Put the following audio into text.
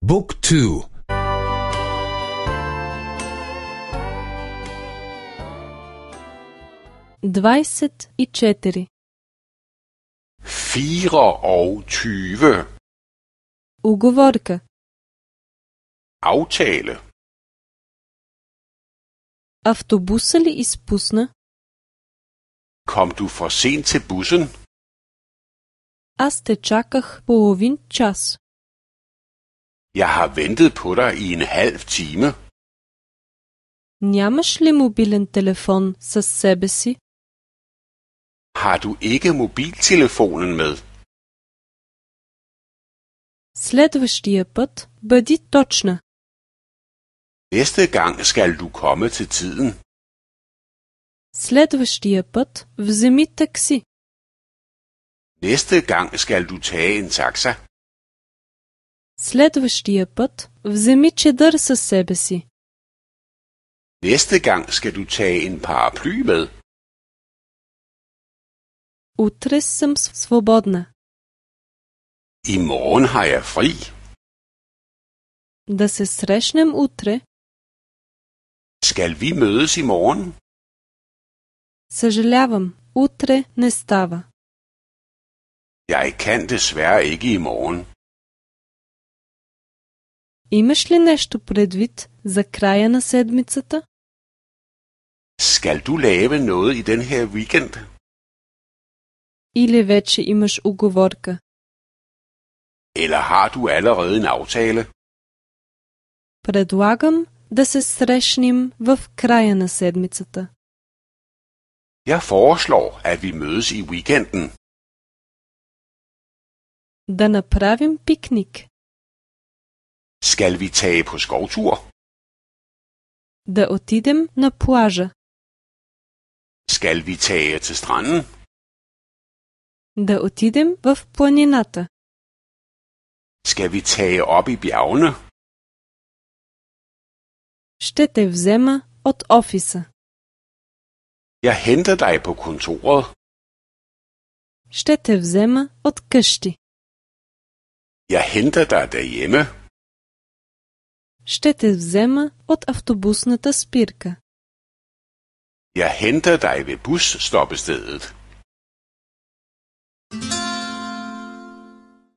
Book 2. 24. 24. Уговорка. Aftale. Автобуса ли изпусна? Kom du for sent til bussen? Аз те чаках половин час. Jeg har ventet på dig i en halv time. Нямаш ли мобилен телефон със себе си? Har du ikke mobiltelefonen med? Следващия път бъди точна. Næste gang skal du komme til tiden. Следващия път вземи такси. Næste gang skal du tage en taxa. Следващия път вземи чадър със себе си. Næste gang skal du tage en paraply med. Утре съм свободна. I morgen har jeg fri. Да се срещнем утре. Skal vi mødes i morgen? Съжалявам, утре не става. Jeg kan desværre ikke i morgen. Имаш ли нещо предвид за края на седмицата? Skal du lave noget i den her weekend? Или вече имаш уговорка? Eller har du allerede en aftale? Предлагам да се срещнем в края на седмицата. Jeg foreslår, at vi mødes i weekenden. Да направим пикник. Skal vi tage på skovtur? Да отидем на плажа. Skal vi tage til stranden? Да отидем в планината. Skal vi tage op i bjergene? Ще те взема от офиса. Jeg henter dig på kontoret. Ще те взема от къщи. Jeg henter dig derhjemme. Ще те взема от автобусната спирка. Jeg henter dig ved busstoppestedet.